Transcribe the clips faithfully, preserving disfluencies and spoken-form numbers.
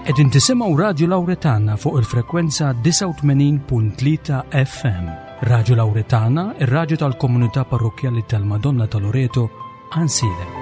Qegħdin tisimgħu Radju Lawretana fuq il-frekwenza disgħa u tmenin punt tlieta F M. Radju Lawretana, ir-radju tal-komunità parrokkjali tal-Madonna ta' Loreto, Għajnsielem.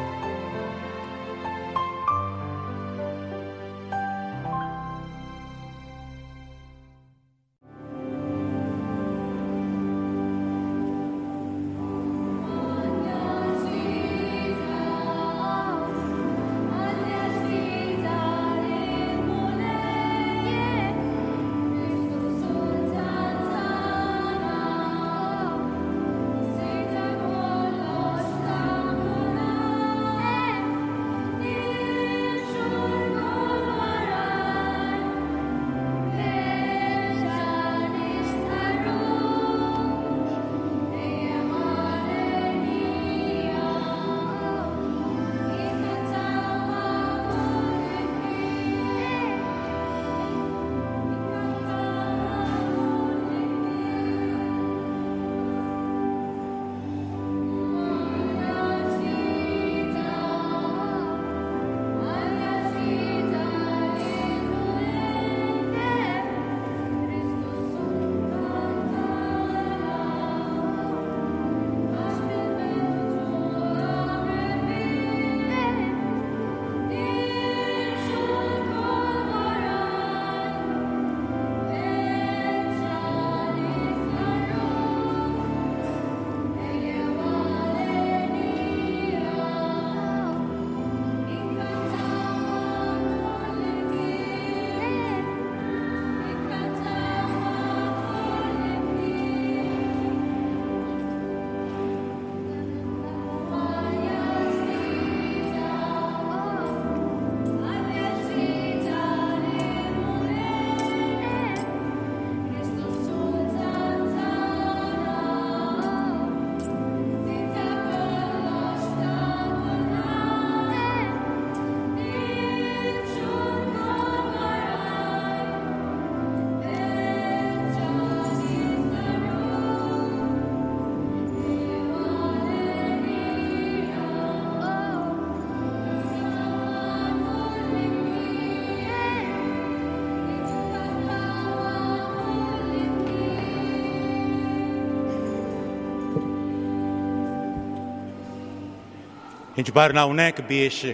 Inġbarna hawnhekk biex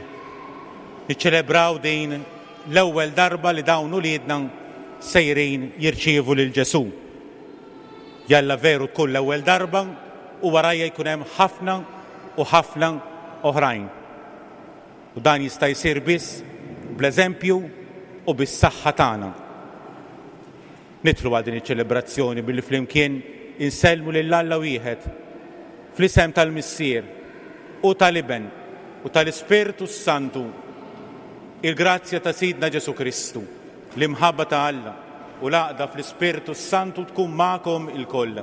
niċċelebraw din l-ewwel darba li dawn uliedna sejrin jirċievu lil Ġesù. Jalla veru tkun l-ewwel darba u warajja jkun hemm ħafna u ħafna oħrajn. U dan jista' jsir biss bl-eżempju u bis-saħħa tagħna. Nidħlu għal din iċ-ċelebrazzjoni billi flimkien insellmu lil Alla wieħed fl-isem tal-Missier u tal-Iben u tal-Ispirtu Santu. Il-grazzja ta' Sidna Ġesù Kristu, l-imħabba ta' Alla u l-għaqda fl-Ispirtu Santu tkun magħkom ilkoll.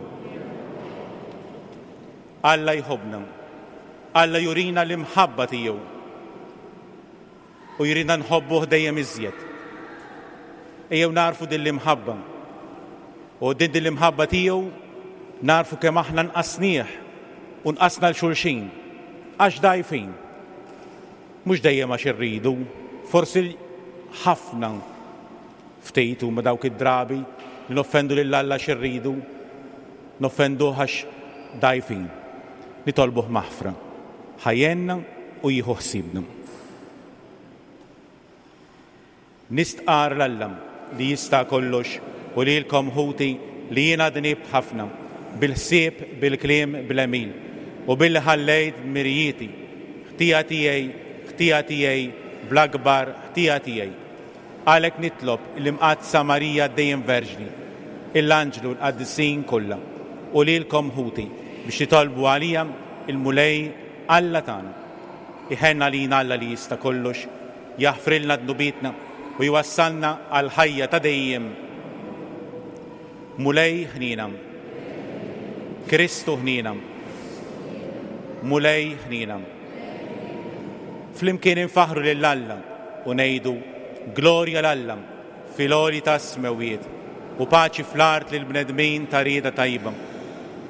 Alla jħobbna, Alla jurina l-imħabba tiegħu u jurina nħobbuh dejjem iżjed. Ejjew narfu din l-imħabba u din din l-imħabba tiegħu narfu kemm aħna nqasnieh u nqasna l xulxin għax dgħajfin. Mhux dejjem għax irridu, forsi ħafna ftit huma dawk id-drabi li noffendu lil Alla għax irridu, noffenduh għax dgħajfin. Nitolbuh maħfra, ħajjenna u jieħu ħsiebna. Nistqar l-Alla li jista' kollox u lilkom ħuti li jiena dnibt ħafna bil-ħsieb, bil-kliem, bl-għemil u billi ħallejt dmirijieti, ħtija tiegħi, ħtija tiegħi, bl-akbar ħtija tiegħi. Għalhekk nitlob l-Imqaddsa Marija dejjem Verġni, l-Anġlu l-Qaddisin kollha u lilkom ħuti biex titolbu għalija il-Mulej Alla tagħna. Iħenna lina Alla li jista' kollox, jaħfrilna dnubietna u jwassalna għal ħajja ta' dejjem. Mulej ħnina, Kristu ħnina, Mulej ħnina. Flimkien infaħru lil Alla u ngħidu glorja l Alla fil-għoli tas-smewwiet u paċi fl-art lil bnedmin ta' rieda tajba.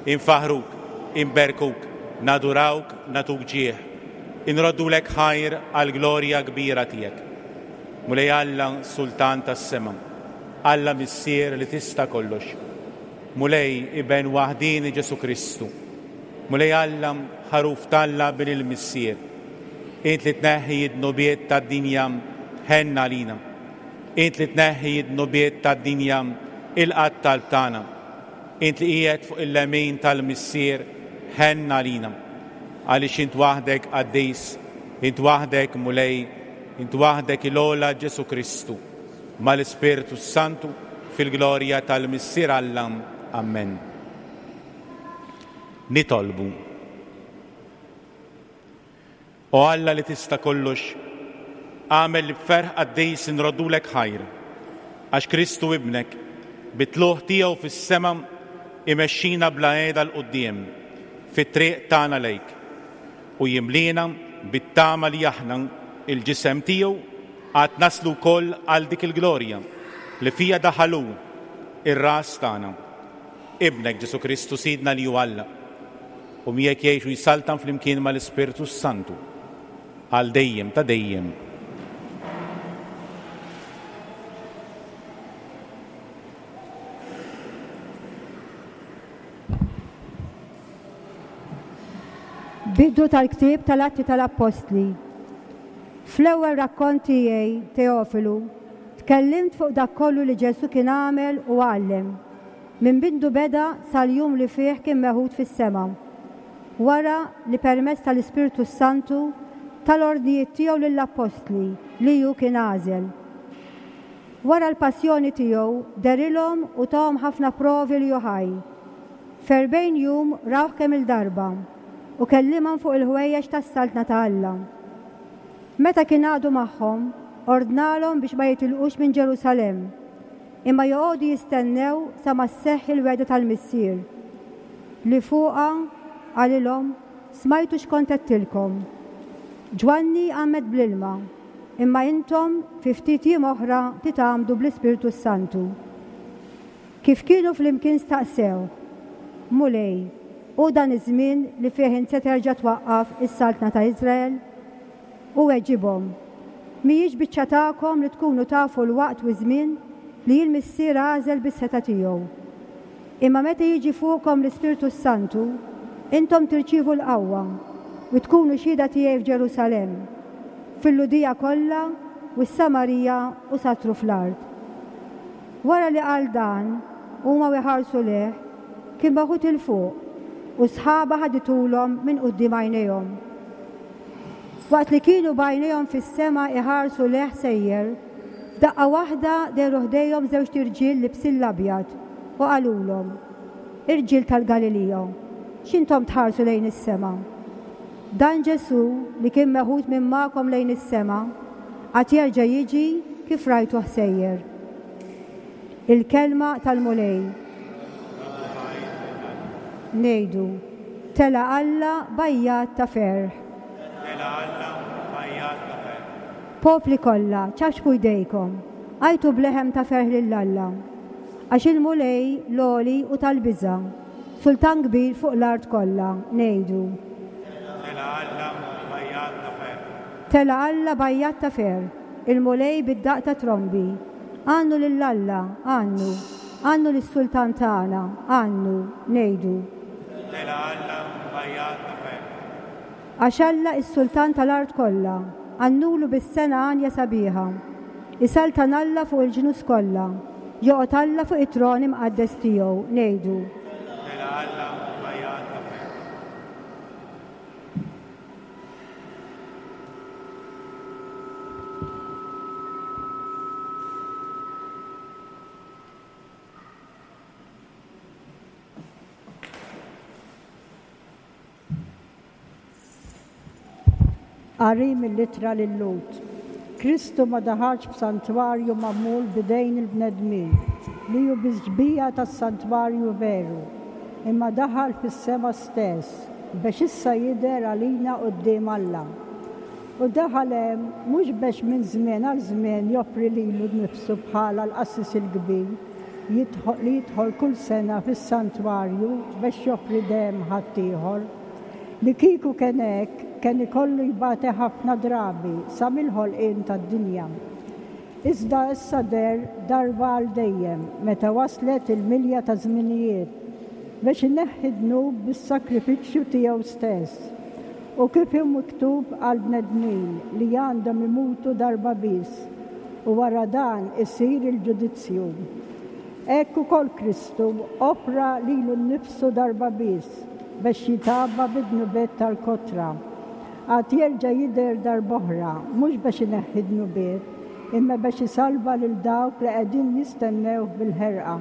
Infaħruk, inberkuk, nadurawk, nagħtuk ġieħ, inroddulek ħajr għall-glorja kbira tiegħek. Mulej Alla, Sultan tas-sema, Alla Missier li tista' kollox. Mulej Iben waħdieni Ġesù Kristu. Mulej Alla, ħaruf t'Alla Bin il-Missier. Int li tneħħi d-dnubiet tad-dinja, ħenn għalina. Int li tneħħi d-dnubiet tad-dinja, ilqa' t-talb tagħna. Int li qiegħed fuq il-lemin tal-Missier, ħenn għalina. Għaliex int waħdek qaddis, int waħdek Mulej, int waħdek il-ogħla Ġesù Kristu, mal-Ispirtu Santu, fil-glorja tal-Missier Alla. Amen. Nitolbu. O Alla li tista' kollox, għamel li b'ferħ qaddis inroddulek ħajr, għax Kristu ibnek, bit-tlugħ tiegħu fis-sema, imexxina bla qiegħda 'l quddiem fit-triq tagħna lejk, u jimlina bit-tama li aħna il-ġisem tiegħu għad naslu wkoll għal dik il-glorja li fija daħal hu ir-ras tagħna. Ibnek Ġesù Kristu Sidna li hu Alla, u miegħek jgħix u jsaltan flimkien mal-Ispirtu Santu għal dejjem ta' dejjem. Bidu tal-ktieb tal-Atti tal-Appostli. Fl-ewwel rakkont tiegħi, Teofilu, tkellimt fuq dak kollu li Ġesù kien għamel u għallem, minn bindu beda sal-jum li fih kien meħud fis-sema. Wara li permezz tal-Ispirtu Santu tal-ordnijiet tiegħu lill-Appostli li hu kien għażel. Wara l-passjoni tiegħu derilhom u tahom ħafna provi li hu ħaj. F'erbgħin jum rawh kemm il-darba u kellimhom fuq il-ħwejjeġ tas-saltna ta' Alla. Meta kien għadu magħhom, ordnalhom biex ma jitilqux minn Ġerusalemm, imma joqogħdu jistennew sa ma sseħħ il-wegħda tal-Missier. Li fuqha qalilhom, smajtu x'kont għedtilkom. Ġwanni għammed bl-ilma, imma intom fi ftit jiem oħra titgħammdu bl-Ispirtu Santu. Kif kienu flimkien staqsew, Mulej, hu dan iż-żmien li fih int se terġa' twaqqaf is-saltna ta' Iżrael? U weġibhom, mhijiex biċċa tagħkom li tkunu tafu l-waqt u ż-żmien li l-Missier għażel bis-setgħa tiegħu. Imma meta jiġi fuqkom l-Ispirtu Santu, intom tirċievu l-qawwa u tkunu xhieda tiegħi f'Ġerusalemm, fil-Lhudija kollha u s-Samarija u satru fl-art. Wara li qal dan, huma iħarsu lejh, kien meħud 'il fuq u sħaba ħaditulhom minn quddiem għajnejhom. Waqt li kienu b'għajnejhom fis-sema iħarsu lejh sejjer, f'daqqa waħda dehru ħdejhom żewġt irġiel libsin l-abjad u qalulhom, Irġiel tal-Galilija, x'intom tħarsu lejn is-sema? Dan Ġesù li kien meħud minn magħkom lejn is-sema, għad jerġa' jiġi kif rajtuh sejjer. Il-kelma tal-Mulej. Ngħidu, tela' Alla b'għajjat ta' ferħ. Tela' Alla b'għajjat ta' ferħ. Popli kollha, ċapċpu jdejkom, għajtu b'leħem ta' ferħ lil Alla. Għax il-Mulej l-għoli u tal-biża', sultan kbir fuq l-art kollha, ngħidu. Tela' Alla b'għajjat ta' ferħ. Tela' Alla b'għajjat ta' ferħ, il-Mulej bid-daqq ta' trombi. Għannu lil Alla, għannu, għannu lis-sultan tagħna, għannu, ngħidu. Tela' Alla b'għajjat ta' ferħ. Għax Alla is-sultan tal-art kollha, għannulu bis-sena għanja sabiħa. Isaltan Alla fuq il-ġnus kollha, joqgħod Alla fuq it-tron imqaddes tiegħu, ngħidu. Tela' Alla b'għajjat ta' ferħ. Qari mill-ittra lil-Lhud. Kristu ma daħalx f'santwarju magħmul b'idejn il-bnedmin, li hu biż-xbieha tas-santwarju veru, imma daħal fis-sema stess, biex issa jidher għalina quddiem Alla. U daħal hemm mhux biex minn żmien għal żmien joffri lilu nnifsu bħala l-qassis il-kbir li jidħol kull sena fis-santwarju biex joffri demm ħaddieħor. Li kieku kien hekk, kien ikollu jbati ħafna drabi sa mill-ħolqien tad-dinja. Iżda issa deher darba għal dejjem meta waslet il-milja ta' żminijiet biex ineħħi dnub bis-sakrifiċċju tiegħu stess. U kif hu miktub għal bnedmin li għandhom imutu darba biss u wara dan isir il-ġudizzju. Hekk ukoll Kristu offra lilu nnifsu darba biss biex jitgħabba bid-dnubiet tal-kotra. Għad jerġa' jidher darb'oħra, mhux biex ineħħi dnubiet, imma biex isalva lil dawk li qegħdin jistennew bil-ħerqa.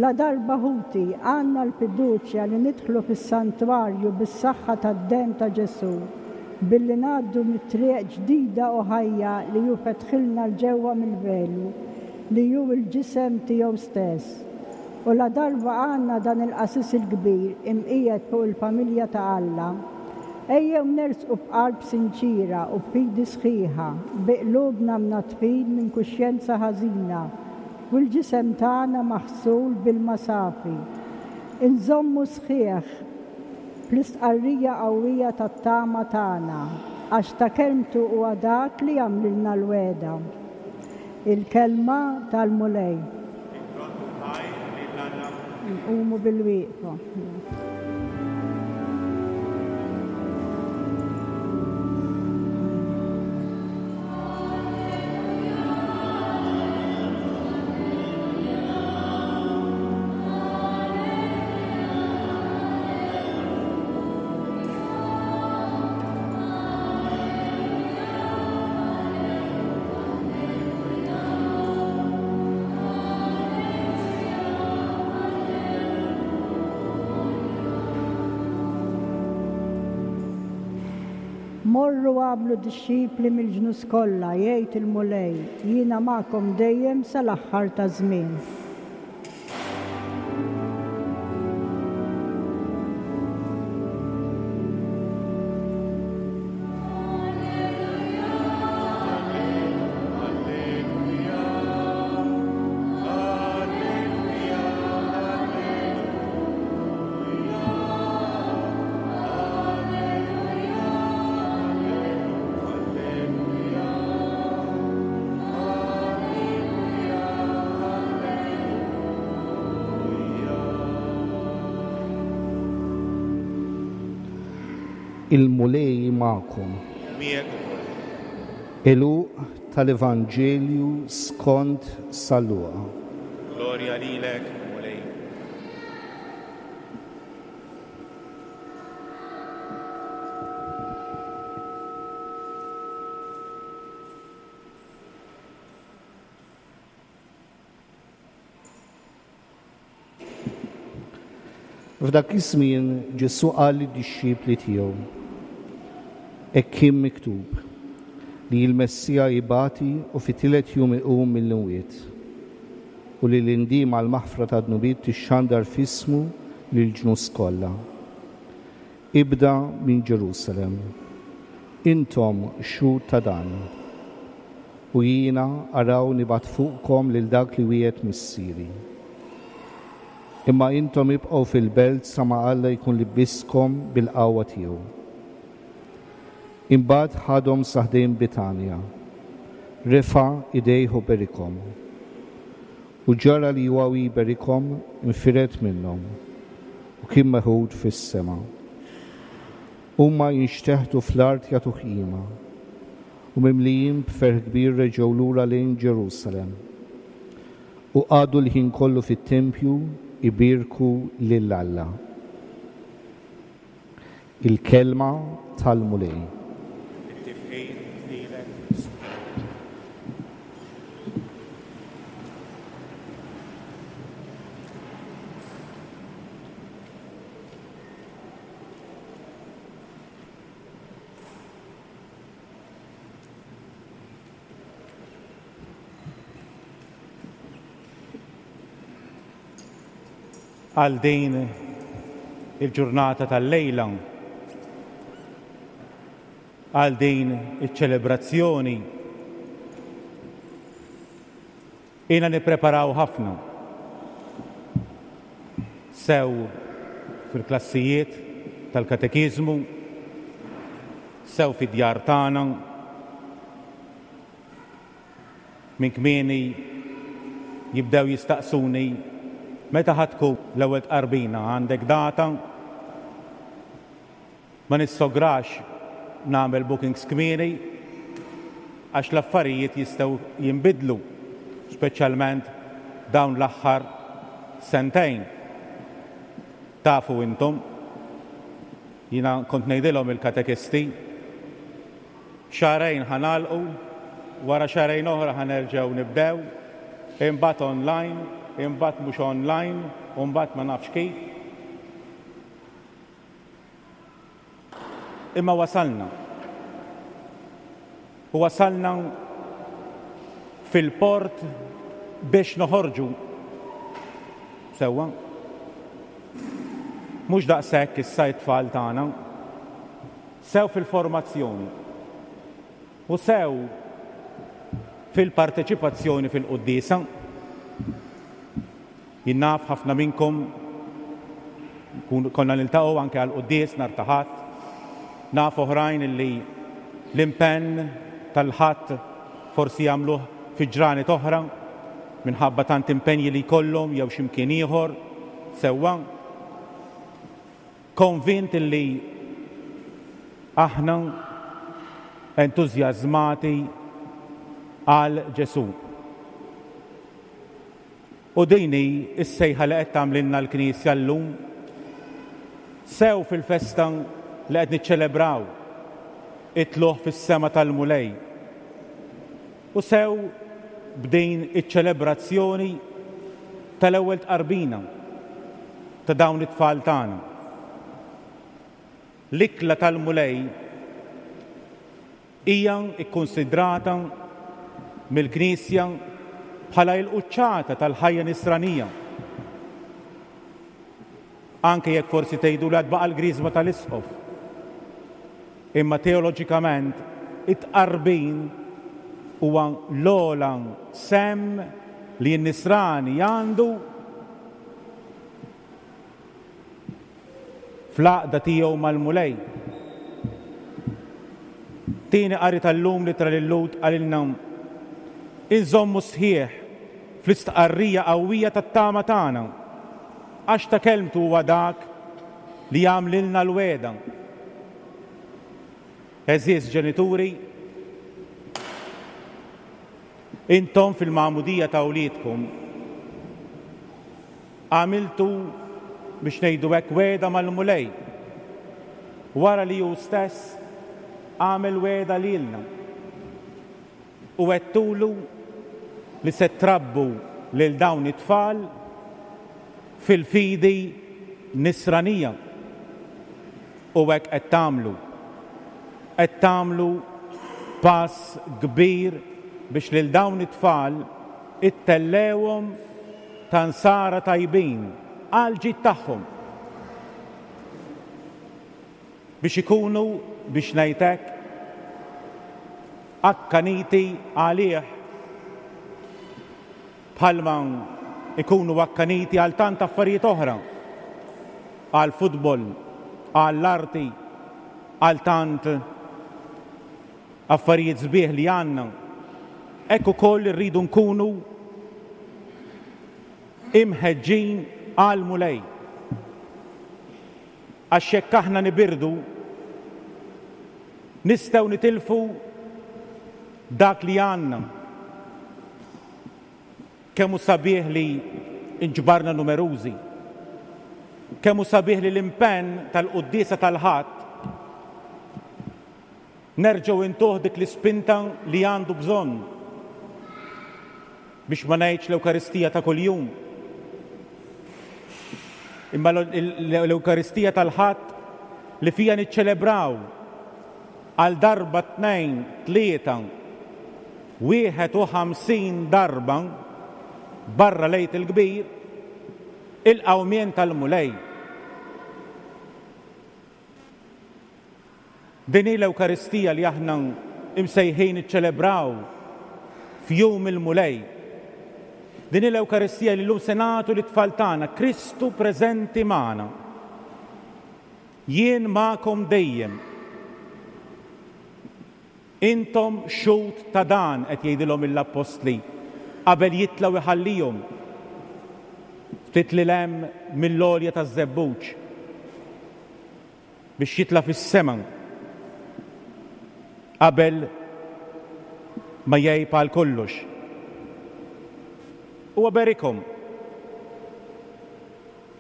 La darba ħuti għandna l-fiduċja li nidħlu fis-santwarju bis-saħħa tad-demm ta' Ġesù, billi ngħaddu mit-triq ġdida u ħajja li hu fetħilna 'l ġewwa mill-velu, li hu l-ġisem tiegħu stess. U la darba għandna dan il-qasis il-kbir imqiegħed fuq il-familja ta' Alla, ejjew nersqu b'qalb sinċira u b'fidi sħiħa, bi qlubna mnaddfin minn kuxjenza ħażina u l-ġisem tagħna maħsul bil-ilma safi. Inżommu sħiħ fl-istqarrija qawwija tat-tama tagħna, għax ta' kelmtu huwa dak li għamlilna l-wegħda. Il-kelma tal-Mulej. Nqumu bil-wieqfa. Morru għamlu dixxipli mill-ġnus kollha, jgħid il-Mulej, jiena magħkom dejjem sal-aħħar ta' żmien. Il-Mulej magħkom. Għeluq tal-Evanġelju skont San Luqa. Glorja lilek, Mulej. F'dak iż-żmien Ġesù qal lid-dixxipli tiegħu: Hekk kien miktub li l-Messija jibati u fit-tielet jum iqum mill-imwiet, u li l-indiema għall-maħfra ta' dnubiet tixxandar f'ismu lill-ġnus kollha. Ibda minn Ġerusalem. Intom xhud ta' dan. U jiena araw nibgħat fuqkom lil dak li wiegħed missieri. Imma intom ibqgħu fil-belt sa ma Alla jkun libbiskom bil-qawwa tiegħu. Imbagħad ħadhom sa ħdejn Bitanja, refa' idejh u berikhom. U ġara li huwa jberikhom infired minnhom u kien meħud fis-sema. Huma jinxteħtu fl-art jagħtuh qima, u mimlijin b'ferħ kbir reġgħu lura lejn Ġerusalem. U qagħdu l-ħin kollu fit-tempju ibierku lil Alla. Il-kelma tal-Mulej. Għal din il-ġurnata tal-lejla, għal din iċ-ċelebrazzjoni, ilna nippreparaw ħafna, sew fil-klassijiet tal-katekiżmu, sew fid-djar tagħna. Minn kmieni jibdew jistaqsuni meta ħa tkun l-ewwel tqarbina, għandek data? Ma nissograx nagħmel bookings kmieni għax l-affarijiet jistgħu jinbidlu, speċjalment dawn l-aħħar sentejn. Tafu intom, jiena kont ngħidilhom il-katekisti, xahrejn ħa nagħlqu, wara xahrejn oħra ħa nerġgħu nibdew, imbagħad online, imbagħad mhux online, u mbagħad ma nafx kif. Imma wasalna. U wasalna fil-port biex noħorġu. Sewwa. Mhux daqshekk issa t-tfal tagħna, sew fil-formazzjoni u sew fil-parteċipazzjoni fil-quddiesa. Jien naf ħafna minnkom konna niltaqgħu anke għall-quddies nhar ta' Ħadd. Naf oħrajn illi l-impenn tal-Ħadd forsi jagħmluh fi ġranet oħra minħabba tant impenji li jkollhom jew xi mkien ieħor. Sewwa. Konvint illi aħna entużjażmati għal Ġesù. U din hi s-sejħa li qed tagħmlilna l-Knisja llum, sew fil-festa li qed niċċelebraw it-tluq fis-sema tal-Mulej, u sew b'din iċ-ċelebrazzjoni tal-ewwel tqarbina ta' dawn it-tfal tagħna. L-ikla tal-Mulej hija kkunsidrata mill-Knisja bħala l-quċċata tal-ħajja nisranija. Anke jekk forsi tgħidu li għad baqa' l-griżma tal-isqof. Imma teoloġikament it-tqarbin huwa l-ogħla sem li n-nisrani għandu fl-għaqda tiegħu mal-Mulej. Tieni qari tal-lum li tra lil-Lhud qalilna inżommu sħiħ fl-istqarrija qawwija tat-tama tagħna, għax ta' kelmtu huwa dak li jagħmlilna l-wegħda. Għeżież ġenituri, intom fil-magħmudija ta' wliedkom għamiltu biex ngħidu hekk wegħda mal-Mulej, wara li hu stess għamel wegħda lilna u għedtulu li se trabbu lil dawn it-tfal fil-fidi nisranija. U hekk qed tagħmlu. Qed tagħmlu pass kbir biex lil dawn it-tfal ittellewhom ta' nsara tajbin għal ġid tagħhom, biex ikunu, biex ngħid hekk, akkaniti għalih bħalma ikunu akkaniti għal tant affarijiet oħra, għal futbol, għall-arti, għal tant affarijiet sbieħ li għandna. Hekk ukoll irridu nkunu imħeġġin għal Mulej. Għax jekk aħna nibirdu, nistgħu nitilfu dak li għandna. Kemm hu sabiħ li nġbarna numerużi, kemm hu sabiħ li l-impenn tal-quddiesa tal-Ħadd nerġgħu intuh dik l-ispinta li għandu bżonn, biex ma ngħidx l-Ewkaristija ta' kuljum, imma l-Ewkaristija tal-Ħadd li fija niċċelebraw għal darba tnejn, tlieta, wieħed u ħamsin darba barra l-Għid il-Kbir, il-qawmien tal-Mulej. Din hi l-Ewkaristija li aħna imsejħin niċċelebraw f'jum il-Mulej. Din hi l-Ewkaristija li llum se nagħtu lit-tfal tagħna, Kristu preżenti magħna. Jien magħkom dejjem. Intom xhud ta' dan, qed jgħidilhom l-appostli qabel jitla' u jħallihom ftit lil hemm mill-għolja taż-Żebbuġ biex jitla' fis-sema qabel ma jgħib għal kollox. Huwa berikhom,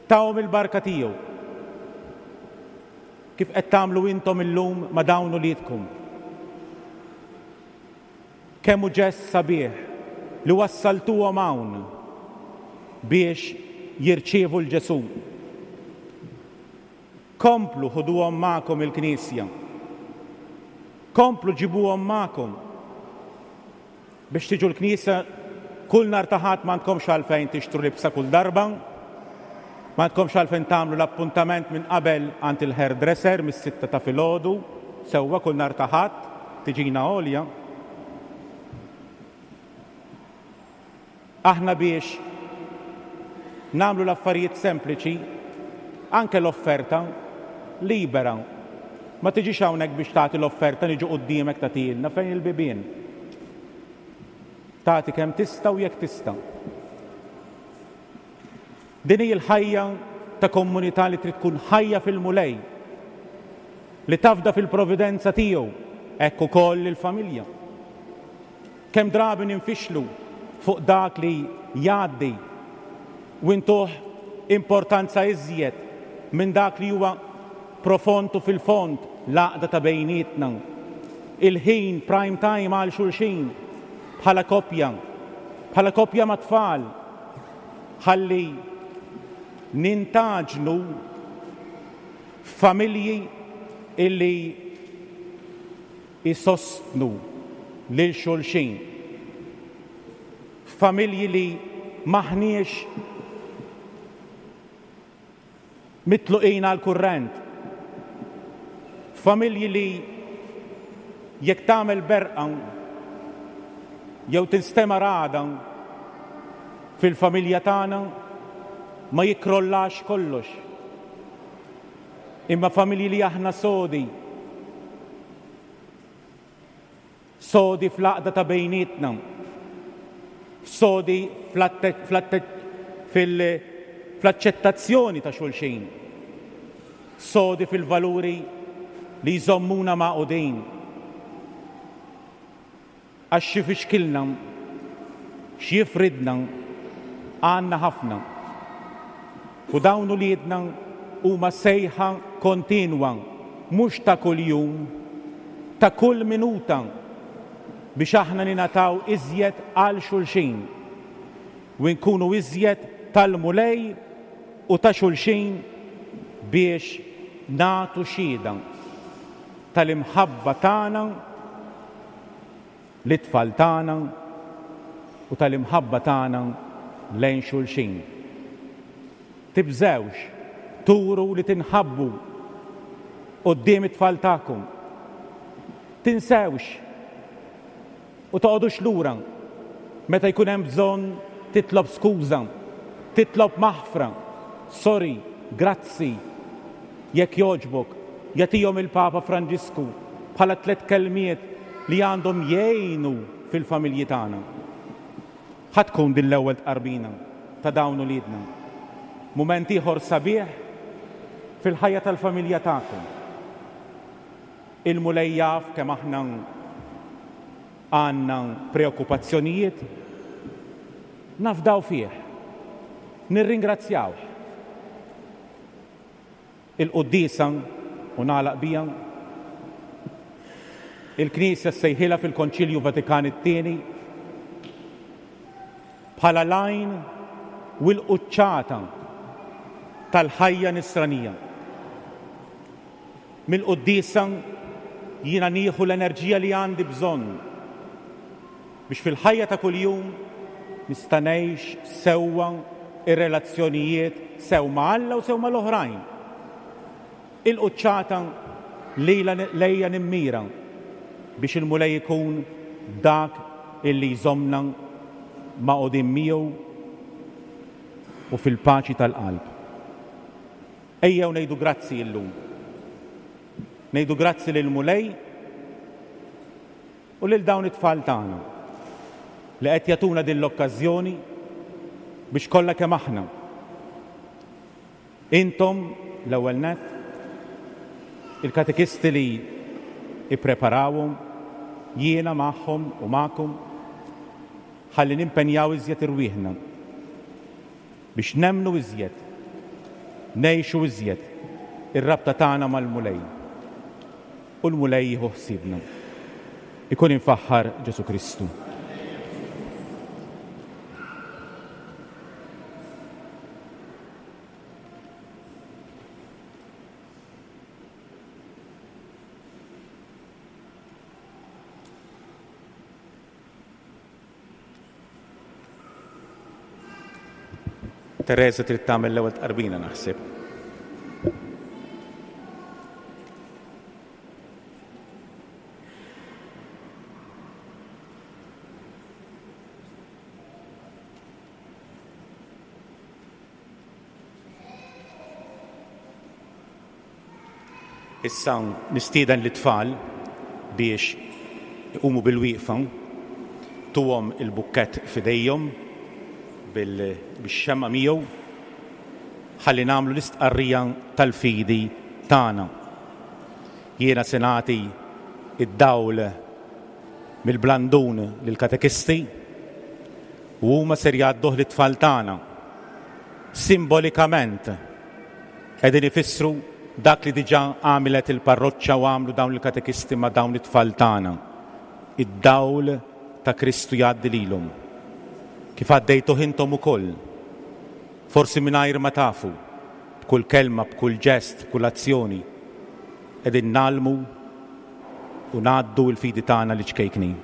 tahom il-barka tiegħu. Kif qed tagħmlu intom illum ma' dawn uliedkom? Kemm hu ġest sabiħ li wassaltuhom hawn biex jirċievu 'l Ġesù. Komplu ħuduhom magħkom il-Knisja. Komplu ġibuhom magħkom biex tiġu l-Knisja kull nhar ta' Ħadd. M'għandkomx għalfejn tixtru libsa kull darba, m'għandkomx għalfejn tagħmlu l-appuntament minn qabel għand il-hairdresser mis-sitta ta' filgħodu, sewwa, kull nhar ta' Ħadd tiġina għolja. Aħna biex nagħmlu l-affarijiet sempliċi, anke l-offerta libera. Ma tiġix hawnhekk biex tagħti l-offerta, niġu quddiemek tagħtilna fejn il-bibien. Tagħti kemm tista' u jekk tista'. Din hi l-ħajja ta' komunità li trid tkun ħajja fil-Mulej, li tafda fil-providenza tiegħu, hekk ukoll il-familja. Kemm drabi ninfixlu fuq dak li jgħaddi u ntuh importanza iżjed minn dak li huwa profond u fil-fond, l-għaqda ta' bejnietna. Il-ħin prime time għal xulxin bħala koppja, bħala koppja ma' tfal, ħalli nintaġnu familji illi jisostnu lil xulxin. Familji li maħniex mitluqin għal kurrent. Familji li jekk tagħmel berqa jew tinstema' ragħda fil-familja tagħna ma jikkrollax kollox. Imma familji li aħna sodi, sodi fl-għaqda ta' bejnietna, sodi fl-aċċettazzjoni ta' xulxin, sodi fil-valuri li jżommuna magħqudin. Għax xi fixkilna, x'jifridna, għandna ħafna. U dawn uliedna huma sejħa kontinwa, mhux ta' kuljum, ta' kull minuta, biex aħna ninataw iżjed għal xulxin u nkunu iżjed tal-Mulej u ta' xulxin biex nagħtu xhieda tal-imħabba tagħna lit-tfal tagħna u tal-imħabba tagħna lejn xulxin. Tibżewx turu li tinħabbu quddiem it-tfal tagħkom. Tinsewx u toqgħodux lura meta jkun hemm bżonn titlob skuża, titlob maħfra, sorry, grazzi, jekk jogħġbok, jagħtihom il-Papa Franġisku bħala tliet kelmiet li għandhom jgħinu fil-familji tagħna. Ħa tkun din l-ewwel tqarbina ta' dawn uliedna. Mument ieħor sabiħ fil-ħajja tal-familja tagħkom. Il-Mulej jaf kemm aħna għandna preokkupazzjonijiet, nafdaw fih, nirringrazzjawh. Il-quddiesa, u nagħlaq bija, il-Knisja ssejħilha fil-Konċilju Vatikan it-tieni bħala l-għajn u l-quċċata tal-ħajja nisranija. Mill-quddiesa jiena nieħu l-enerġija li għandi bżonn biex fil-ħajja ta' kuljum nista' ngħix sewwa ir-relazzjonijiet sew ma' Alla u sew mal-oħrajn. Il-quċċata lejla lejja nimmira biex il-Mulej ikun dak illi jżommna magħqudin miegħu u fil-paċi tal-qalb. Ejjew ngħidu grazzi illum. Ngħidu grazzi lil Mulej u lil dawn it-tfal tagħna. li qed jagħtuna din l-okkażjoni biex kollha kemm aħna. Intom l-ewwel nett, il-katekisti li ippreparawhom, jiena magħhom u magħkom, ħalli nimpenjaw iżjed irwieħna biex nemmnu iżjed, ngħixu iżjed ir-rabta tagħna mal-Mulej. U l-Mulej jieħu ħsiebna. Ikun infaħħar Ġesù Kristu. Teresa trid tagħmel l-ewwel tqarbina naħseb. Issa nistieden lit-tfal biex iqumu bil-wieqfa, tuhom il-bukkett f'idejhom bil-xemma miegħu, ħalli nagħmlu l-istqarrija tal-fidi tagħna. Jiena se nagħti id-dawl mill-blandun lill-katekisti u huma ser jgħadduh lit-tfal tagħna. Simbolikament qegħdin ifissru dak li diġà għamilet il-parroċċa u għamlu dawn il-katekisti ma' dawn it-tfal tagħna. Id-dawl ta' Kristu jgħaddi lilhom. Kif għaddejtuh intom ukoll, forsi mingħajr ma tafu, b'kull kelma, b'kull ġest, b'kull azzjoni, qegħdin nagħlmu u ngħaddu l-fidi tagħna li ċkejknin.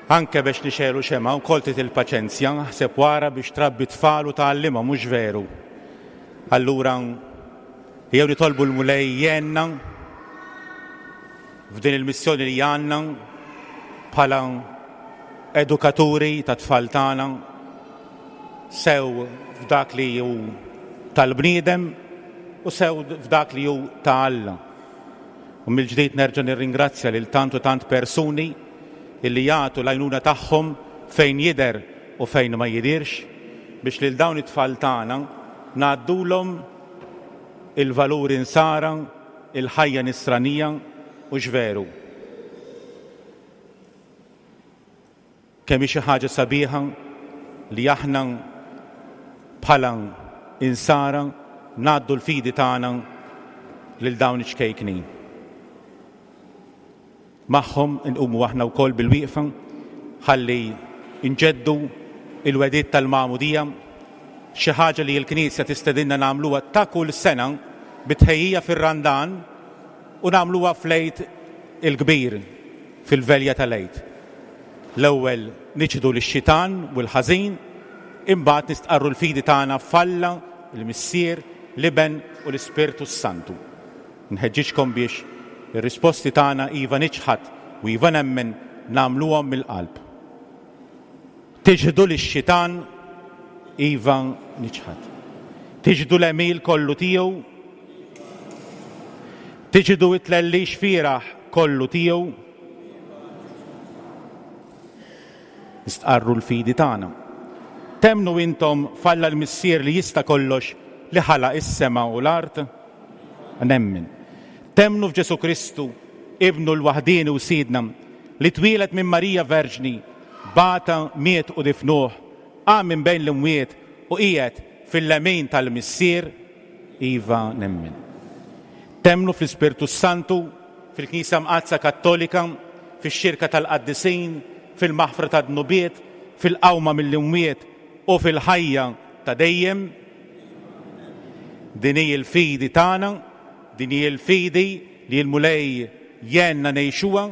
Anke biex nixelu xema u kol trid il-paċenzja, ħseb wara biex trabbi tfal u tgħallimha, mhux veru. Allura jew nitolbu l-Mulej jgħinna f'din il-missjoni li għandna bħala edukaturi ta' tfal tagħna, sew f'dak li hu tal-bniedem u sew f'dak li hu ta' Alla. U mill-ġdid nerġa' nirringrazzja lil tant u tant persuni illi jagħtu l-għajnuna tagħhom fejn jidher u fejn ma jidirx biex lil dawn it-tfal tagħna ngħaddulhom il-valuri nsara, il-ħajja nisranija u x'veru. Kemm hi xi ħaġa sabiħa li aħna bħala insara ngħaddu l-fidi tagħna lil dawn iċ-ċkejknin. Magħhom inqumu aħna wkoll bil-wieqfa ħalli nġeddu il-wedid tal-magħmudija, xi ħaġa li l-Knisja tistedinna nagħmluha ta' kull sena bitħejjija fir-Randan u nagħmluha fl-Għid il-Kbir, fil-velja tal-Għid. L-ewwel niċħdu lix-xitan u l-ħażin, imbagħad nistqarru l-fidi tagħna f'Alla, il-Missier, l-Iben u l-Ispirtu s-Santu. Nħeġġiġkom biex ir-risposti tagħna iva niċħad u iva nemmen nagħmluhom mill-qalb. Tiġħdu lix-xitan, iva niċħad. Tiġħdu l-għemil kollu tiegħu, tiġħdu it-tlellix fieragħ kollu tiegħu. Nistqarru l-fidi tagħna. Temmnu intom f'Alla l-Missier li jista' kollox, li ħalaq is-sema u l-art? Nemmen. Temmnu f'Ġesu Kristu, Ibnu l-waħdieni u Sidna, li twieled minn Marija Verġni, bata, miet u difnuh, qam minn bejn l-imwiet u qiegħed fil-lemin tal-Missier? Iva nemmen. Temmnu fl-Ispirtu Santu, fil-Knisja Mqaddsa Kattolika, fix-xirka tal-Qaddisin, fil-maħfra tad-dnubiet, fil-qawma mill-imwiet u fil-ħajja ta' dejjem? Din hi l-fidi tagħna, din hi l-fidi li l-Mulej jgħinna ngħixuha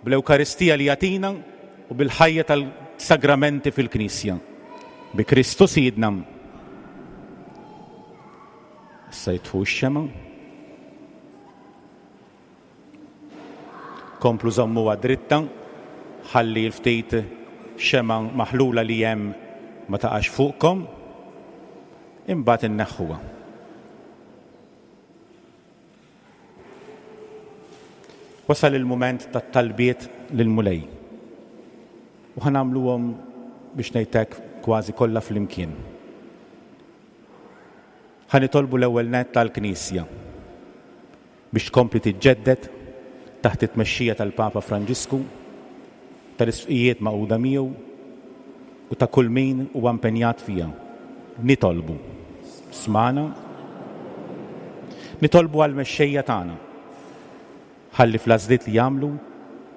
bl-Ewkaristija li jagħtina u bil-ħajja tal-sagramenti fil-Knisja. Bi Kristu Sidna. Issa jitfu x-xema. Komplu żommuha dritta, ħalli l-ftit xema maħlula li hemm ma taqax fuqkom, imbagħad inneħħuha. Wasal il-mument tat-talbiet lill-Mulej. U ħa nagħmluhom biex ngħidlek kważi kollha flimkien. Ħa nitolbu l-ewwel nett tal-Knisja biex tkompli tiġġedded taħt it-tmexxija tal-Papa Franġisku, tal-isqfijiet magħquda miegħu u ta' kull min huwa impenjat fiha. Nitolbu. Smana. Nitolbu għall-mexxejja tagħna. Ħalli fl-għażliet li jagħmlu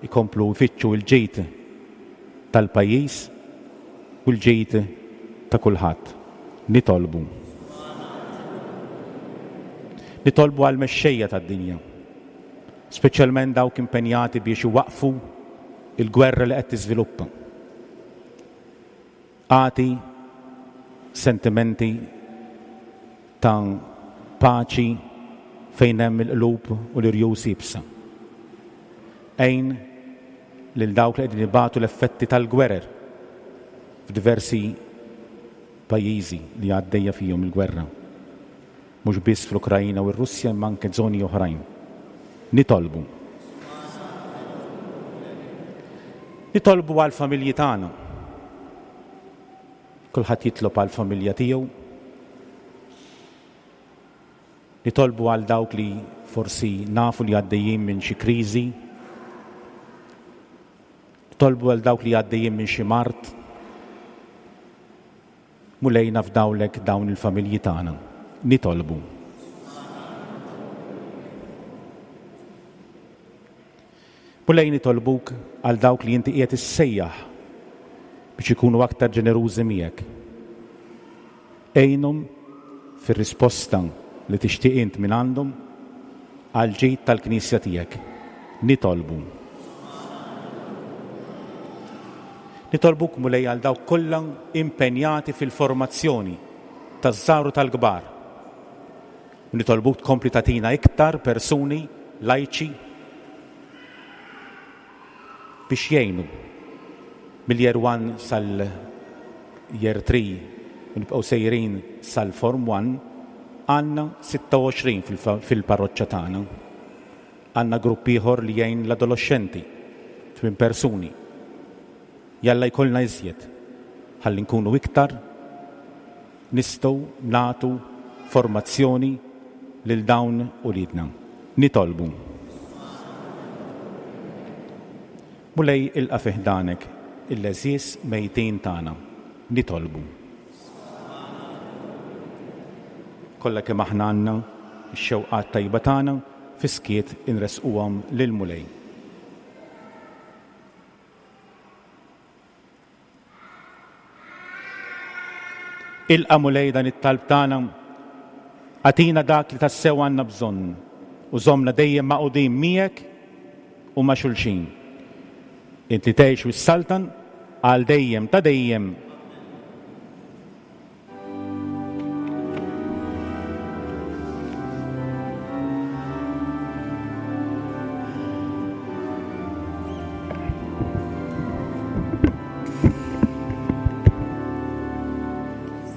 jkomplu jfittxu l-ġid tal-pajjiż u l-ġid ta' kulħadd. Nitolbu. Nitolbu għall-mexxejja tad-dinja, speċjalment dawk impenjati biex iwaqfu il-gwerra li qed tiżviluppa. Agħti sentimenti ta' paċi fejn hemm il-qlub u l-irjus iebsa. Għin lil dawk li qegħdin ibatu l-effetti tal-gwerer f'diversi pajjiżi li għaddejja fihom il-gwerra, mhux biss fl-Ukrajna u r-Russja imma anke żoni oħrajn. Nitolbu. Nitolbu għall-familji tagħna. Kulħadd jitlob għall-familja tiegħu. Nitolbu għal dawk li forsi nafu li għaddejjin minn xi kriżi. Nitolbu għal dawk li għaddejjin minn xi mard. Mulej nafdawlek dawn il-familji tagħna. Nitolbu. Mulej nitolbuk għal dawk li inti qiegħed issejjaħ biex ikunu aktar ġenerużi miegħek. Għinhom fir-risposta li tixtieq int minn għandhom għal ġid tal-Knisja tiegħek. Nitolbu. Nitolbuk Mulej għal dawk kollha impenjati fil-formazzjoni taż-żgħar u tal-kbar. U nitolbuk tkompli tagħtina iktar persuni lajċi biex jgħinu mill-year one sal-year three u nibqgħu sejrin sal-form one, għandna sitta u għoxrin fil-parroċċa tagħna. Għandna grupp ieħor li jgħin l-adolescenti, tmien persuni. Jalla jkollna iżjed, ħalli nkunu iktar nistgħu nagħtu formazzjoni lil dawn uliedna. Nitolbu. Mulej ilqa' fi ħdanek il-għeżież mejtin tagħna. Nitolbu. Kollha kemm aħna għandna x-xewqat tajba tagħna fi skiet inresquhom lil Mulej. Ilqa' Mulej dan it-talb tagħna, agħtina dak li tassew għandna bżonn u żommna dejjem magħqudin miegħek u ma' xulxin. Int li tgħix u ssaltan għal dejjem ta' dejjem.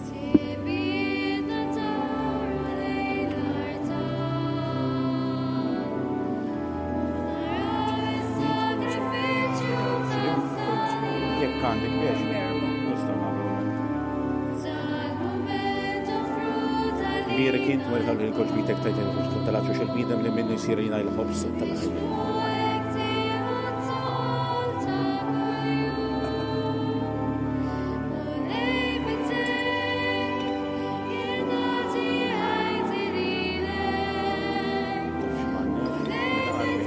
Sibidna dawru lejn l-artal, naraw is-sagrifiċċju tas-salib. Jekk għandek biex, nistgħu nagħmlu. Tal-mument offrut għalik. Bierek int wara tal il-koġbitek tajt tal-għaxux il-bniedem li minnu jsir jina il-ħobż tal-ħajja. Fuqek tieħu t-toqol ta' kuljum. Mulej b'idejk jien nagħti ħajti lilek. Mulej b'idejk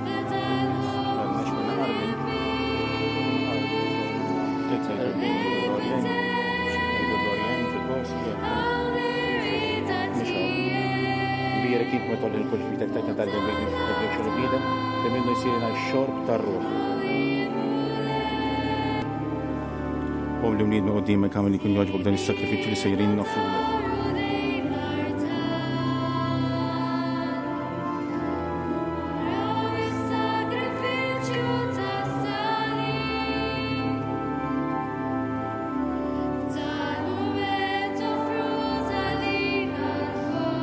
meta l-ħobż u l-inbid. Mulej b'idejk hawn ir-rieda tiegħek. Bierek int meta il-koġbitek tajt tal-il-bniedem li minnu jsir jina x-xorb tar-ruħ. Popli mniedna qudiemek għamel li jkun jogħġbok dan is-sakrifiċċju li sejrin noffrulek. Dawru lejn l-artal, naraw is-sagrifiċċju tas-salib. Tal-mument offrut għalina lkoll,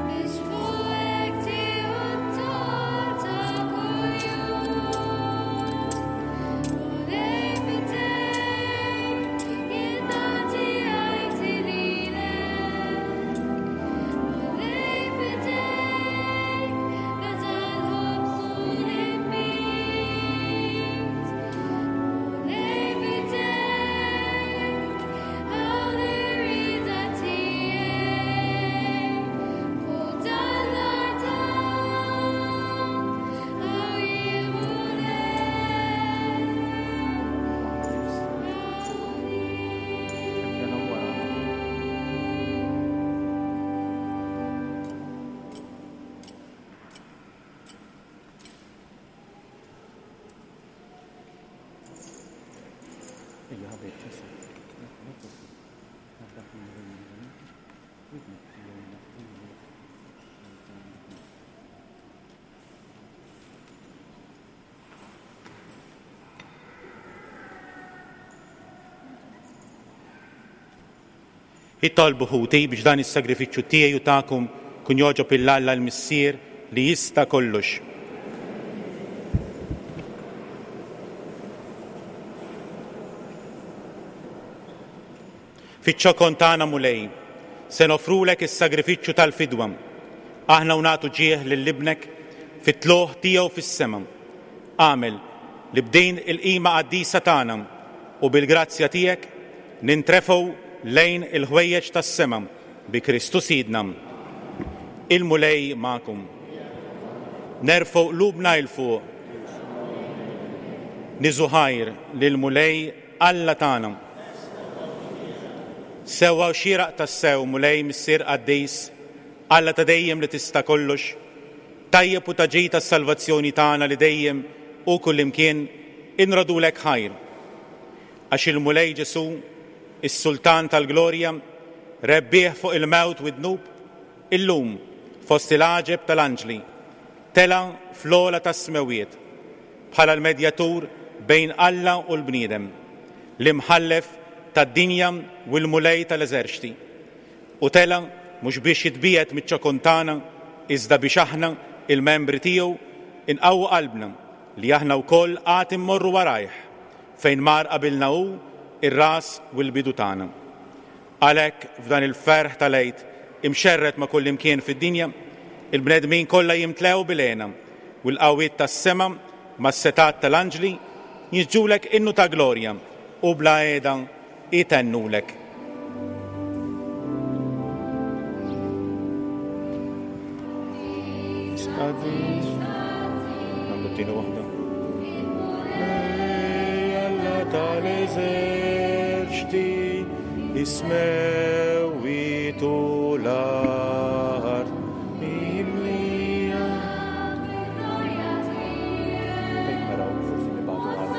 biex fuqek tieħu t-toqol ta' kuljum. Mulej b'idejk jien nagħti ħajti lilek. Mulej b'idejk meta l-ħobż u l-inbid. Mulej b'idejk hawn ir-rieda tiegħek. Fuq dan l-artal hawn jien Mulej. Itolbu ħuti biex dan is-sagrifiċċju tiegħi u tagħkom kun jogħġob lil Alla l-Missier li jista' kollox. Fiċ-ċokon tagħna Mulej, se nofrulek is-sagrifiċċju tal-fidwa. Aħna u nagħtu ġieħ lil ibnek fit-tlugħ tiegħu fis-sema. Agħmel li b'din il-qima qaddisa tagħna u bil-grazzja tiegħek nintrefgħu lejn il-ħwejjeġ tas-sema bi Kristu Sidna. Il-Mulej magħkom. Nerfgħu qlubna 'l fuq. Niżżu ħajr lil Mulej Alla tagħna. Sewwa u xieraq tassew Mulej Missier Qaddis, Alla ta' dejjem li tista' kollox, tajjeb u ta' ġid tas-salvazzjoni tagħna li dejjem u kullimkien inrodulek ħajr. Għax il-Mulej Ġesu, is-Sultan tal-Glorja, rebbieħ fuq il-mewt u d-dnub, illum fost il-għaġeb tal-anġli, tela fl-ogħla tas-smewiet, bħala l-medjatur bejn Alla u l-bniedem, l-imħallef tad-dinja u l-Mulej tal-eżerċti. U tela mhux biex jitbiegħed miċ-ċokon tagħna, iżda biex aħna il-membri tiegħu inqawwu qalbna li aħna wkoll għad immorru warajh fejn mar qabilna hu ir-ras u l-bidu tagħna. Għalhekk f'dan il-ferħ tal-Għid imxerred ma' kullimkien fid-dinja, il-bnedmin kollha jimtlew bil-hena u l-qawwiet tas-sema mas-setgħat tal-anġli jiġġulek innu ta' glorja u bla qiegħda itennulek. Nagħmlu t-tieni waħda. Alla Tal-eżerċti is-smewwiet u l-art mimlija. Fejn naraw forsi nibgħatu għal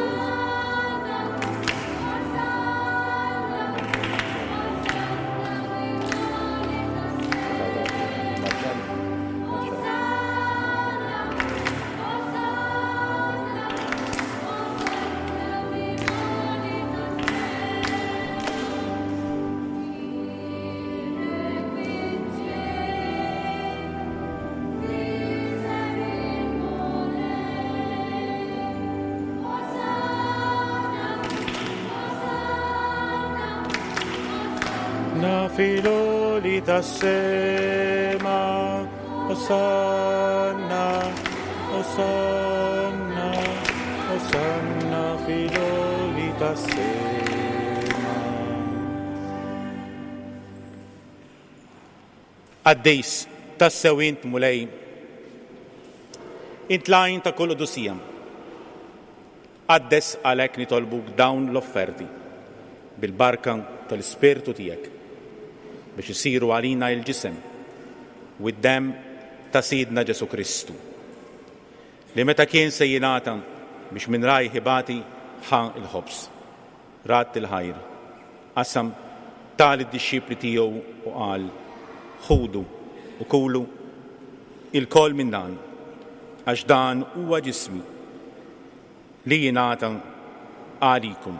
Na filoli tas-sema, Osanna, Osanna, Osanna filoli tas-sema. Qaddis, tassew int Mulej, int l-għajn ta' kull qdusija. Qaddes għalhekk nitolbuk dawn l-offerti bil-barka tal-Ispirtu tiegħek biex isiru għalina il-ġisem u d-demm ta' Sidna Ġesu Kristu, li meta kien se jingħata biex minn rajh ibati ħa il-ħobż, radd il-ħajr, qasam ta lid-dixxipli tiegħu u qal: Ħudu u kulu ilkoll minn dan, għax dan huwa ġismi li jingħata għalikum.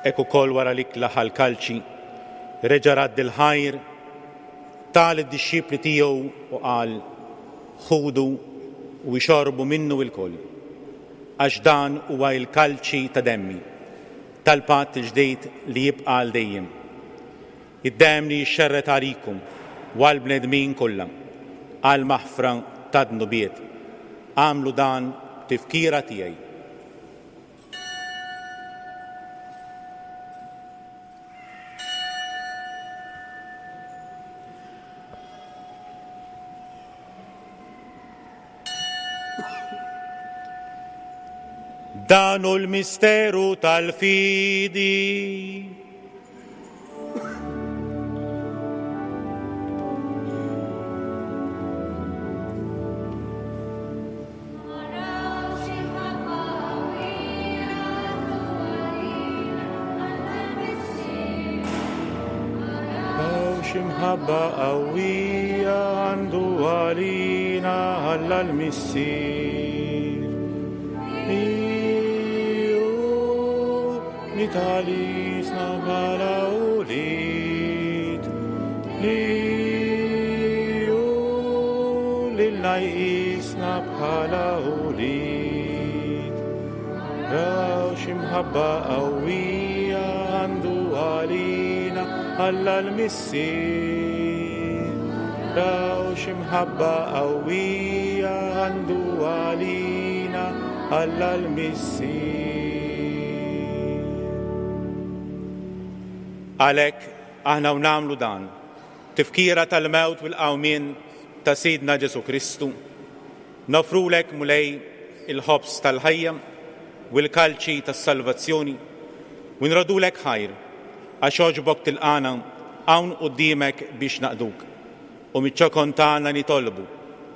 Hekk ukoll wara li klaħ l-kalċi, reġa' radd il-ħajr, ta lid-dixxipli tiegħu u qal: Ħudu u ixorbu minnu lkoll, għax dan huwa l-kalċi ta' demmi, tal-patt il-ġdid li jibqa' għal dejjem. Id-demm li jixxerred għalikum u għall-bnedmin kollha, għal maħfra ta' dnubiet. Agħmlu dan b'tifkira tiegħi. Dan hu l-misteru tal-fidi. X'imħabba qawwija għandu għalina Alla l-Missier. Li talisna bħala ulied, li hu lilna jqisna bħala ulied. Raw x'imħabba qawwija għandu għalina Alla l-Missier. Raw x'imħabba qawwija għandu għalina Alla l-Missier. Għalhekk aħna u nagħmlu dan, tifkira tal-mewt u l-qawmien ta' Sidna Ġesu Kristu, nofrulek Mulej il-ħobż tal-ħajja u l-kalċi tas-salvazzjoni u nrodulek ħajr għax għoġbok tilqana hawn quddiemek biex naqduk. U miċ-ċokon tagħna nitolbu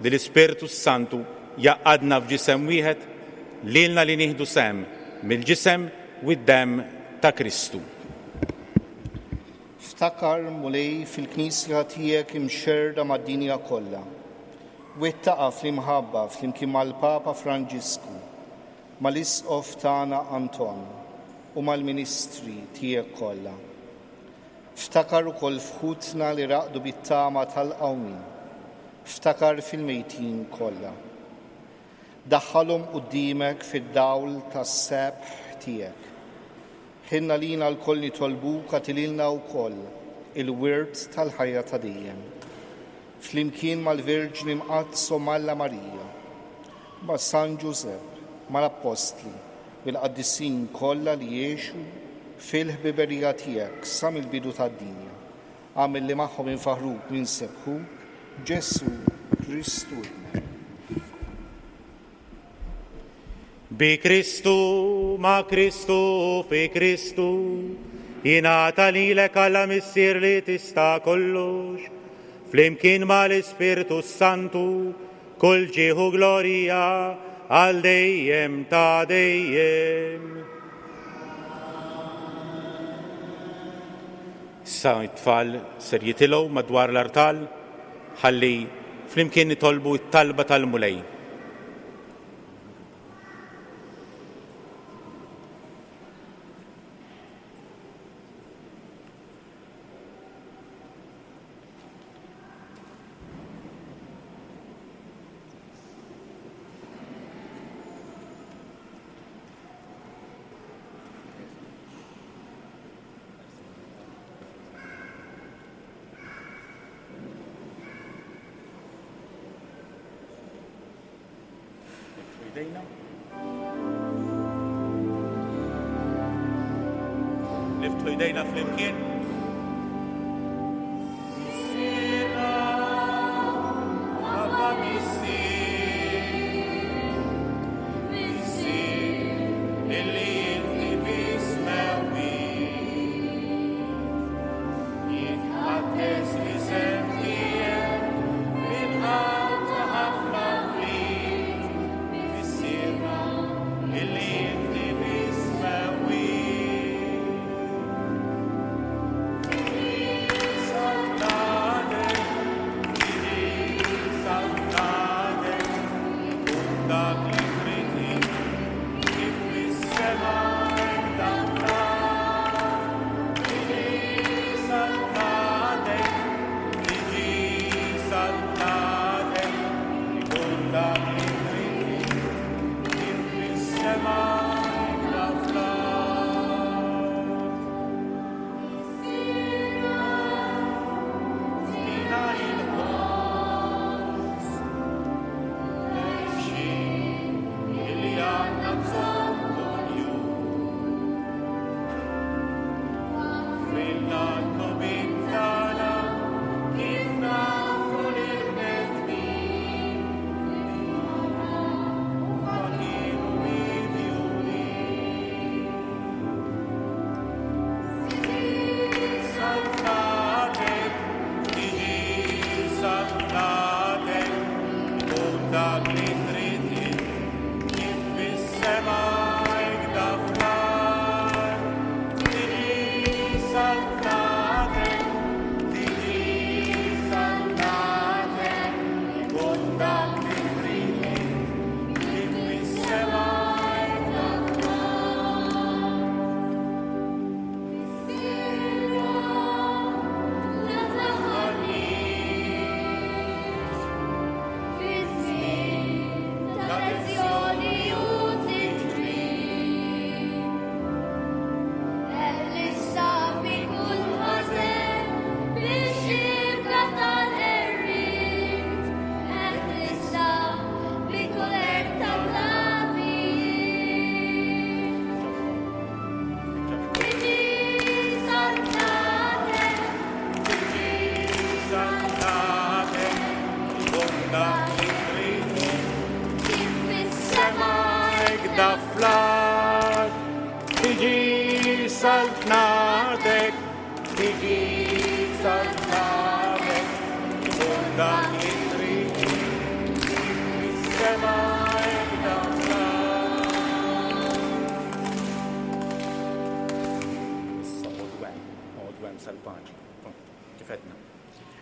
li l-Ispirtu s-Santu jgħaqqadna f'ġisem wieħed lilna li nieħdu sehem mill-ġisem u d-demm ta' Kristu. Ftakar, Mulej, fil-Knisja tiegħek imxerrda mad-dinja kollha. Wettaqa fl-imħabba flimkien mal-Papa Franġisku, mal-Isqof tagħna Anton u mal-Ministri tiegħek kollha. Ftakar ukoll f'ħutna li raqdu bit-tama tal-qawmien. Ftakar fil-mejtin kollha. Daħħalhom quddiemek fid-dawl tas-sebħ tiegħek. Ħinna lina lkoll nitolbuk għatililna wkoll il-wirt tal-ħajja ta' dejjem. Flimkien mal-Verġni Mqaddsa Malla Marija, ma' San Ġużepp, mal-Appostli, bil-qaddisin kollha li jgħixu fil-ħbiberija tiegħek sa mill-bidu tad-dinja. Agħmel li magħhom infaħruk u nsebbħuk, Ġesù Kristu Ibnek. Bi Kristu, ma' Kristu, fi Kristu, jingħata lilek Alla Missier li tista' kollox, flimkien mal-Ispirtu Santu, kull ġieħ u glorja għal dejjem ta' dejjem. Issa t-tfal ser jitilgħu madwar l-artal ħalli flimkien nitolbu t-talba tal-Mulej. Niftħu jdejna flimkien. Missierna, Abba Missier, Missier, illi inti fis-smewwiet, jitqaddes l-isem tiegħek bil-qalb ta' ħafna wlied. Missierna, illi inti fis-smewwiet.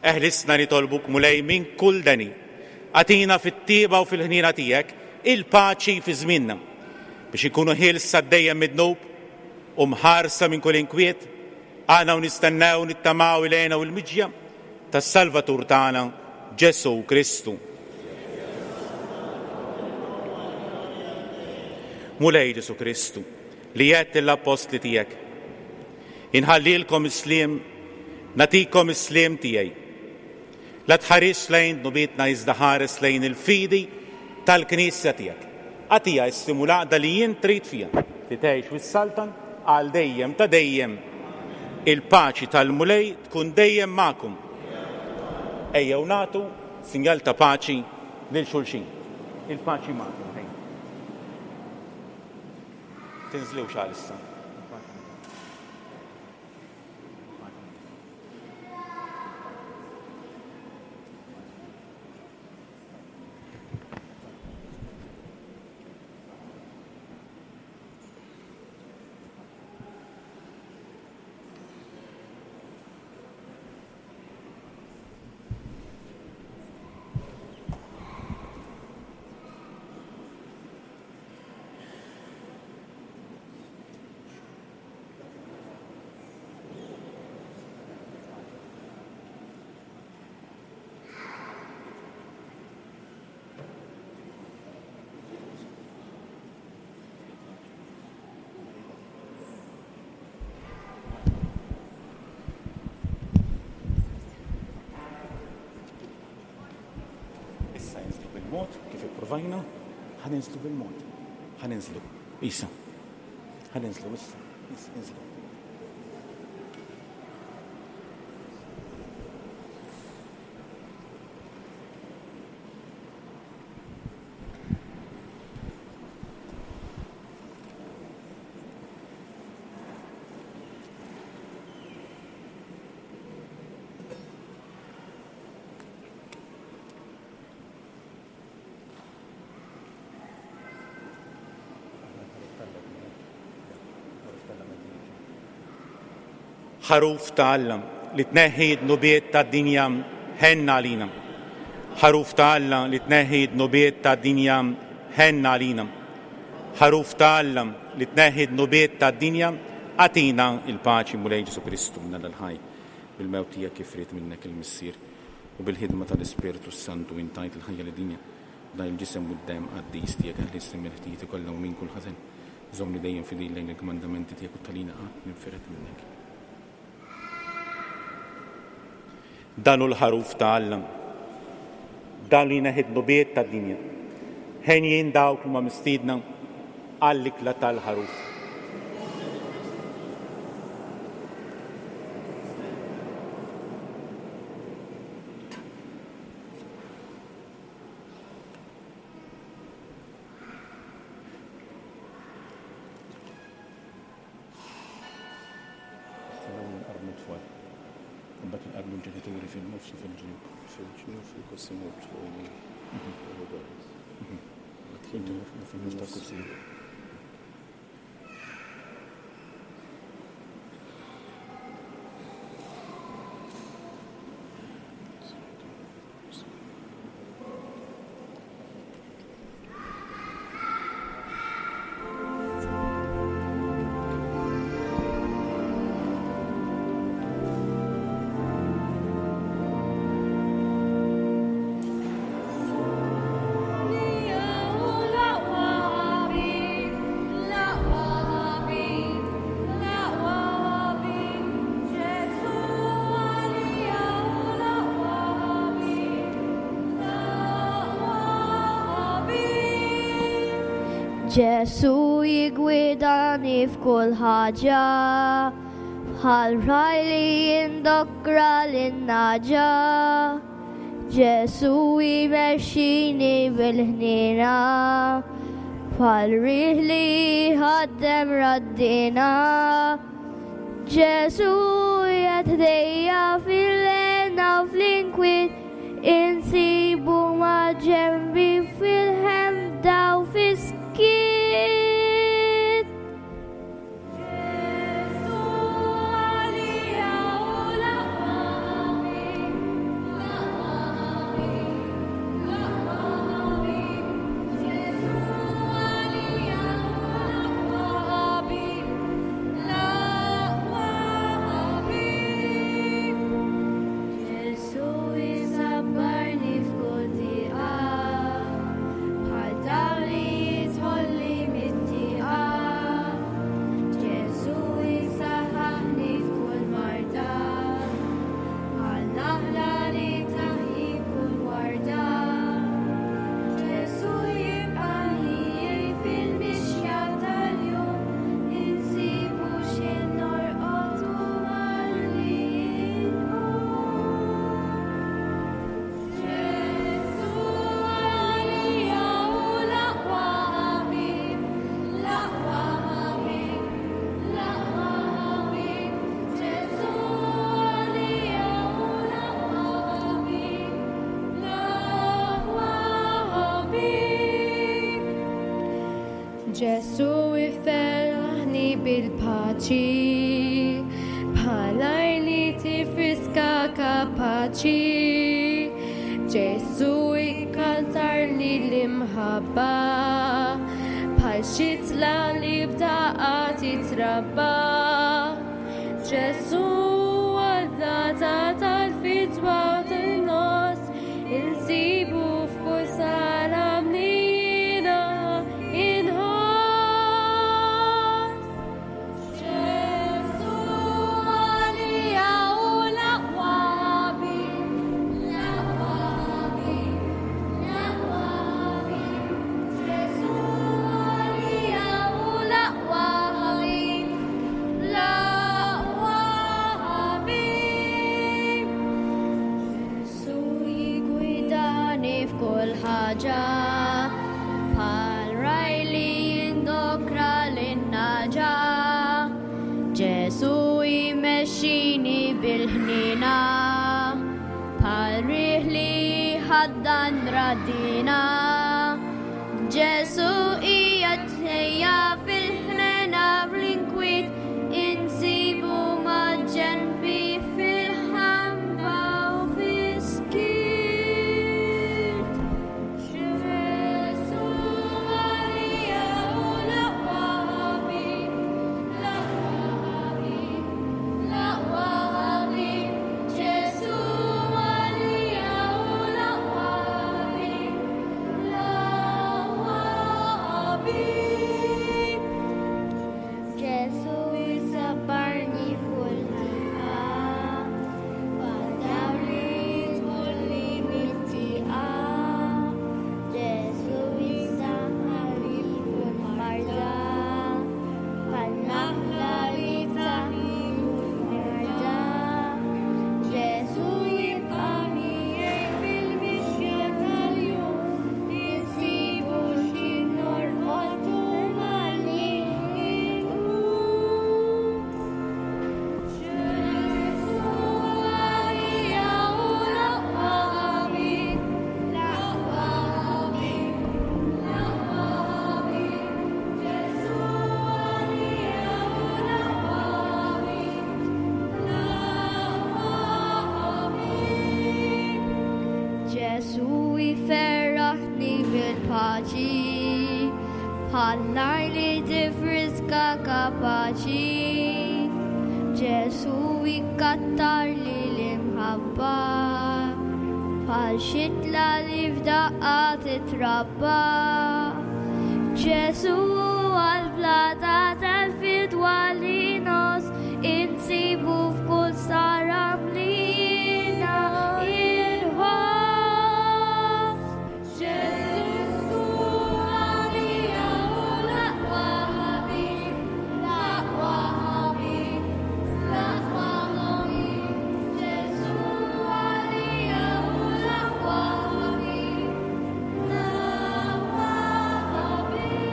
Eħlisna nitolbuk Mulej minn kull deni. Agħtina fit-tieba u fil-ħnina tiegħek il-paċi fi żmienna biex inkunu ħielsa dejjem mid-dnub u mħarsa minn kull inkwiet, għana u nistennew nittamaw ilejna u l-miġja tas-Salvatur tagħna Ġesù Kristu. Mulej Ġesù Kristu, li għedt lill-appostli tiegħek, inħallilkom is-sliem, nagħtikom is-sliem tiegħi. La tħares lejn dnubietna iżda ħares lejn il-fidi tal-Knisja tiegħek. Agħtiha s-sliem u l-għaqda li jien trid fiha, li tgħix u ssaltan għal dejjem ta' dejjem. Il-paċi tal-Mulej tkun dejjem magħkom. Ejjew nagħtu sinjal ta' paċi lil xulxin. Il-paċi magħkom. Tinżlux għalissa. Issa jinżlu bil-mod, kif ipprovajna, ħa ninżlu bil-mod. Ħa ninżlu, isa. Ħa ninżlu issa, issa inżlu. Ħaruf ta' Alla li tneħħi d-dnubiet tad-dinja, ħenna għalina. Ħaruf ta' Alla li tneħħi d-dnubiet tad-dinja, ħenna għalina. Ħaruf ta' Alla li tneħħi d-dnubiet tad-dinja, agħtina il-paċi Mulej Ġesù Kristu minn Alla l-ħaj, bil-mewt tiegħek kif ried minnek il-Missier u bil-ħidma tal-Ispirtu Santu intajt il-ħajja lid-dinja. Dan il-ġisem u d-demm qaddis tiegħek eħlisni mill-ħtijiet kollha u minn kull ħażen. Żommni dejjem fidil lejn il-kmandamenti tiegħek u talina qatt ninfired minnek. Dan hu l-ħaruf ta' Alla, dan li jneħħi d-dnubiet tad-dinja. Ħenjin dawk li huma mistiedna għall-ikla tal-ħaruf. Ġenituri fil-nofs u fil-ġnub. Fil-ġnub fil-kursi Fil-nofs tal-kursi. Ġesu jigwidani f'kull ħaġa, bħal raj li jindokra lin-naġa. Ġesu jmexxini bil-ħniena, bħal riħ li jħaddem raddina. Ġesu jgħaddejja fil-lena u fl-inkwiet, insibu ma' ġenbi fil-ħemda u fis-skiet. Ġesu għalija u l-aqwa ħabib, l-aqwa ħabib, l-aqwa ħabib. Ġesu għalija u l-aqwa ħabib, l-aqwa ħabib. Ġesu jisabbarni f'kull diqa, bħal Ġesù iferraħni bil-paċi, bħal li tifriska kapaċi. Ġesù ikkantarli l-imħabba, bħal xitla li b'daqqa titrabba. Ġesù għal-blata tal-fidwa u tan-nos, insibu f'kull sala mnina inħoss. Ġesù għalija hu l-aqwa ħabib, l-aqwa ħabib, l-aqwa ħabib. Ġesù għalija hu l-aqwa ħabib, l-aqwa ħabib. Ġesù jiggwidani f'kull ħaġa, bħal ragħaj li jindokra lin-nagħġa. Ġesù jmexxini bil-ħnina, bħal riħ li ħaddan radina. Ġesù qiegħed ħdejja fil-ħnena fl-inkwiet, insibu ma' ġenbi fil-ħamba u fis-skiet. Ġesù għalija hu l-aqwa ħabib, l-aqwa ħabib, l-aqwa ħabib. Ġesù għalija hu l-aqwa ħabib, l-aqwa ħabib. Ġesù jsabbarni f'kull diqa, bħad-dawl li jidħolli mit-tieqa. Ġesù jsaħħani f'kull marda, bħal naħla li tagħti kull marda. Ġesù jibqa' miegħi fil-mixja tal-jum, insibu x'ħin norqod u malli nqum. Ġesù għalija hu l-aqwa ħabib, l-aqwa ħabib, l-aqwa ħabib. Ġesù għalija hu l-aqwa ħabib, l-aqwa ħabib. Ġesù jferraħni bil-paċi, bħal nar li tifriska kapaċi. Ġesù jkattarli l-imħabba, bħal xitla li f'daqqa titrabba. Ġesù għal-blata tal-fidwa li nos, insibu f'kull saram li jiena inħoss. Ġesù għalija hu l-aqwa ħabib, l-aqwa ħabib, l-aqwa ħabib. Ġesù għalija hu l-aqwa ħabib, l-aqwa ħabib.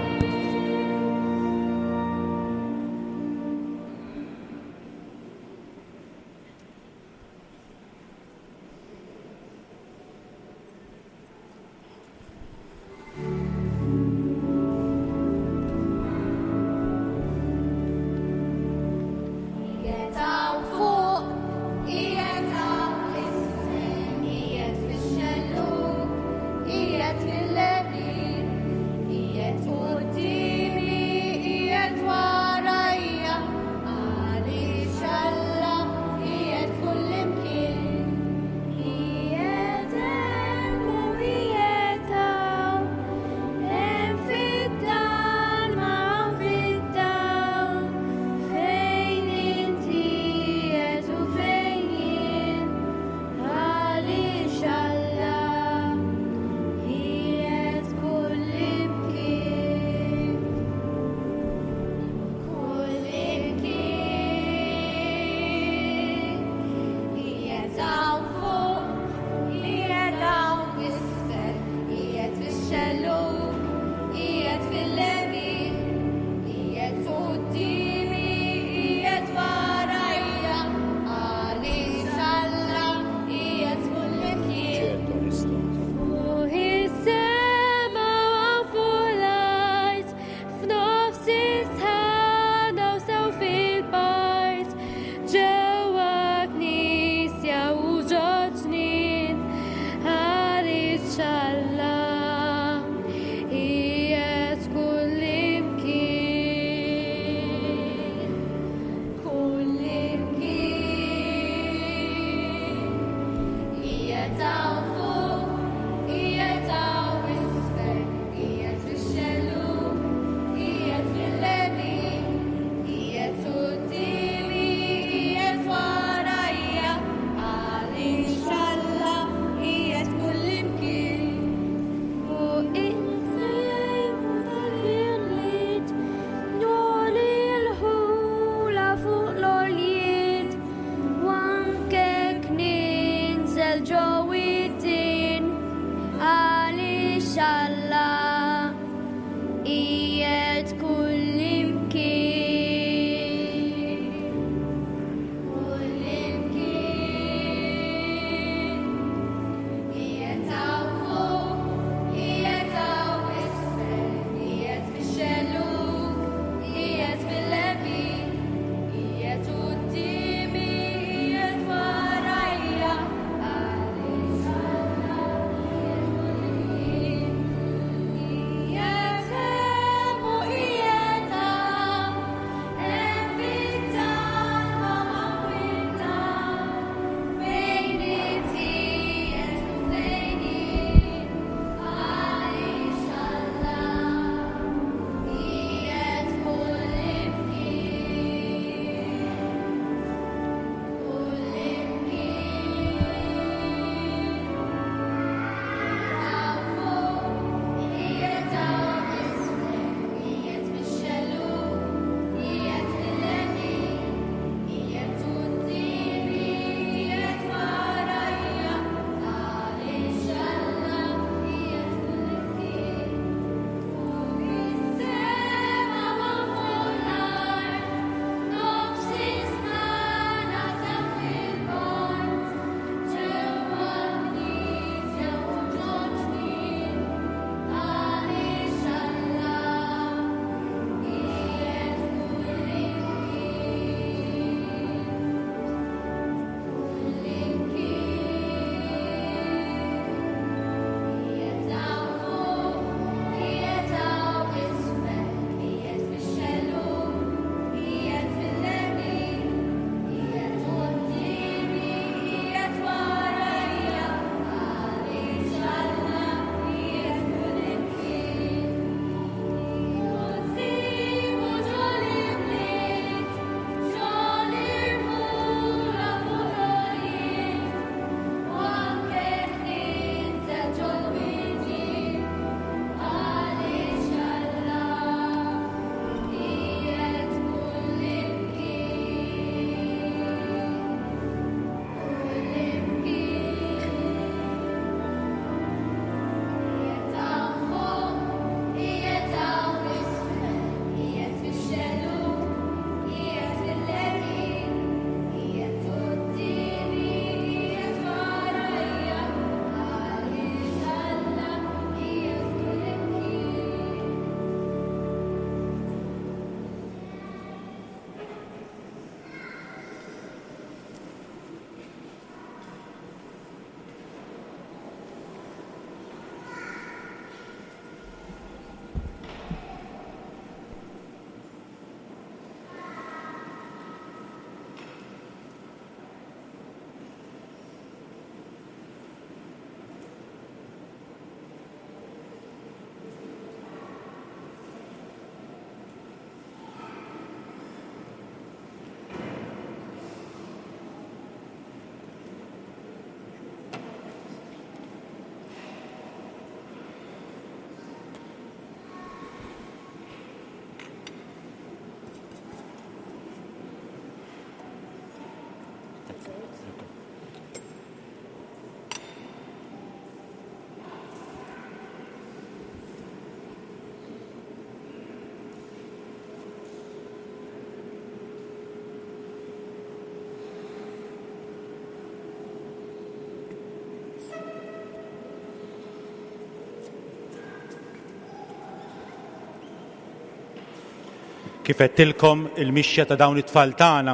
Kif għedtilkom il-mixja ta' dawn it-tfal tagħna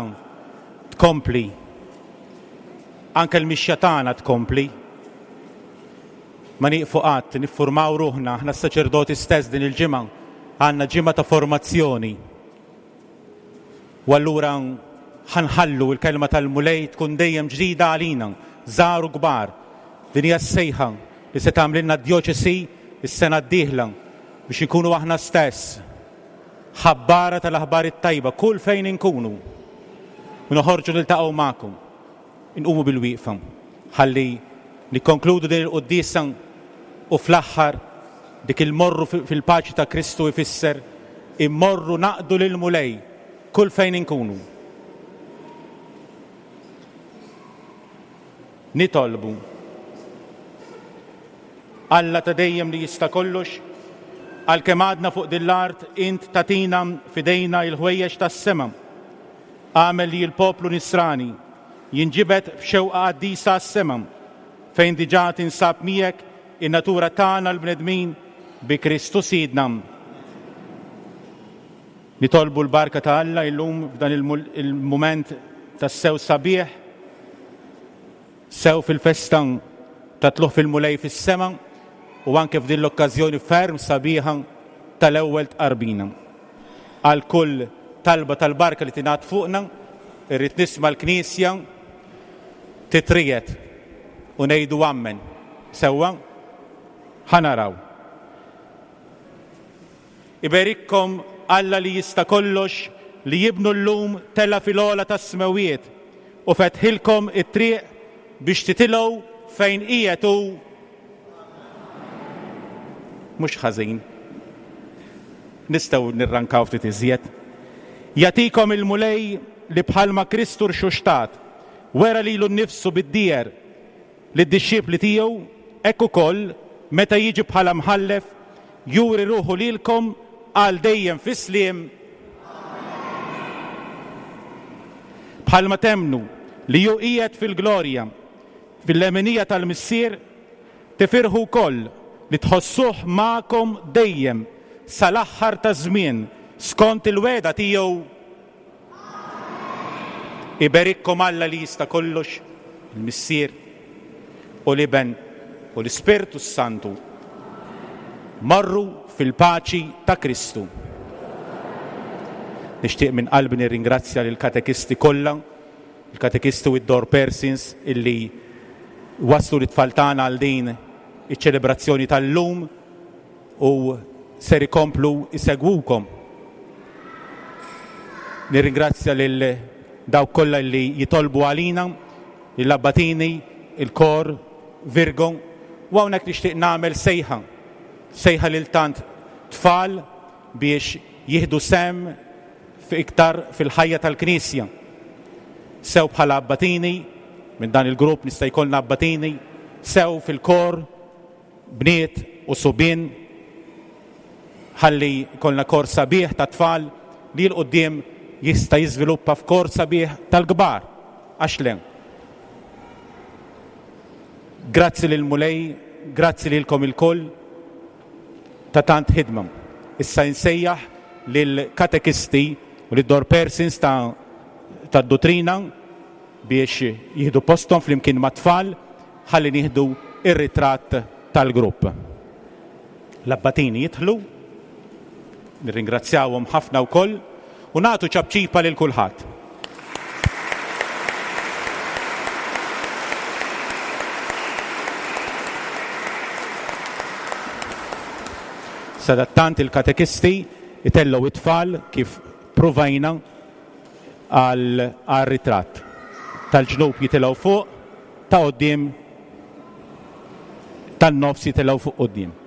tkompli. Anke l-mixja tagħna tkompli. Ma nieqfu qatt niffurmaw ruħna aħna s-saċerdoti stess din il-ġimgħa għandna ġimgħa ta' formazzjoni. U allura ħa nħallu l-kelma tal-Mulej tkun dejjem ġdida għalina, żgħar u kbar. Din hija s-sejħa li se tagħmlilna d-djoċesi s-sena d-dieħla biex inkunu aħna stess ħabbara tal-aħbar it-tajba kull fejn inkunu. U noħorġu niltaqgħu magħkom. Inqumu bil-wieqfa. Ħalli nikkonkludu din il-quddiesa u fl-aħħar dik il-morru fil-paċi ta' Kristu ifisser immorru naqdu lil Mulej kull fejn inkunu. Nitolbu. Alla ta' dejjem li jista' kollox, għalkemm għadna fuq din l-art int tagħtina f'idejna il-ħwejjeġ tas-sema. Agħmel li l-poplu nisrani jinġibed b'xewqa qaddisa għas-sema, fejn diġà tinsab miegħek in-natura tagħna l-bnedmin bi Kristu Sidna. Nitolbu l-barka ta' Alla illum f'dan il-mument tas-sew sabiħ, sew fil-festa ta' tluħ fil-Mulej fis-sema u anke f'din l-okkażjoni ferm sabiħa tal-ewwel tqarbina. Għal kull talba tal-barka li tingħad fuqna, irrid nisma' l-Knisja titrijet u ngħidu ammen. Sewwa? Ħa naraw. Iberikkom Alla li jista' kollox li jibnu llum tela' fil-ogħla tas-smewiet u fetħilkom it-triq biex titilgħu fejn qiegħed hu. Mhux ħażin. Nistgħu nirrankaw ftit iżjed. Jagħtikom il-Mulej li bħalma Kristu rxuxtat wera lilu nnifsu bid-dieher lid-dixxipli tiegħu, hekk ukoll meta jiġi bħala mħallef juri ruħu lilkom għal dejjem fis-sliem. Bħalma temnu li hu qiegħed fil-glorja fil-leminija tal-Missier, tifirħu wkoll li tħossuh magħkom dejjem sal-aħħar taż-żmien skont il-wegħda tiegħu. Iberikkom Alla li jista' kollox, il-Missier u l-Iben u l-Ispirtu s-Santu. Marru fil-paċi ta' Kristu. Nixtieq minn qalbi nirringrazzja lill-katekisti kollha, il-katekisti u d-door persons illi waslu l-tfal tagħna għal din iċ-ċelebrazzjoni tal-lum u ser ikomplu isegwukom. Nirringrazzja lil dawk kollha li jitolbu għalina, il-abbatini, il-kor, Virgo, u hawnhekk nixtieq nagħmel sejħa, sejħa lil tant tfal biex jieħdu sem iktar fil-ħajja tal-Knisja. Sew bħala abbatini, minn dan il-grupp nista' jkollna abbatini, sew fil-kor, bniet u subien, ħalli jkollna kor sabiħ ta' tfal li l-qudiem jista' jiżviluppa f'kor sabiħ tal-kbar. Għax le. Grazzi lil Mulej, grazzi lilkom ilkoll ta' tant ħidma. Issa insejjaħ lil katekisti u lid door persons ta' tad-dottrina biex jieħdu posthom flimkien mat-tfal ħalli nieħdu ir-ritratt tal-grupp. L-abbatini jidħlu, nirringrazzjawhom ħafna wkoll u nagħtu ċapċipa lil kulħadd. Sadattant il-katekisti itellgħu it-tfal kif provajna għal ritratt. Tal-ġnub jitilgħu fuq, ta' quddiem, tan-nofs jitilgħu fuq quddiem.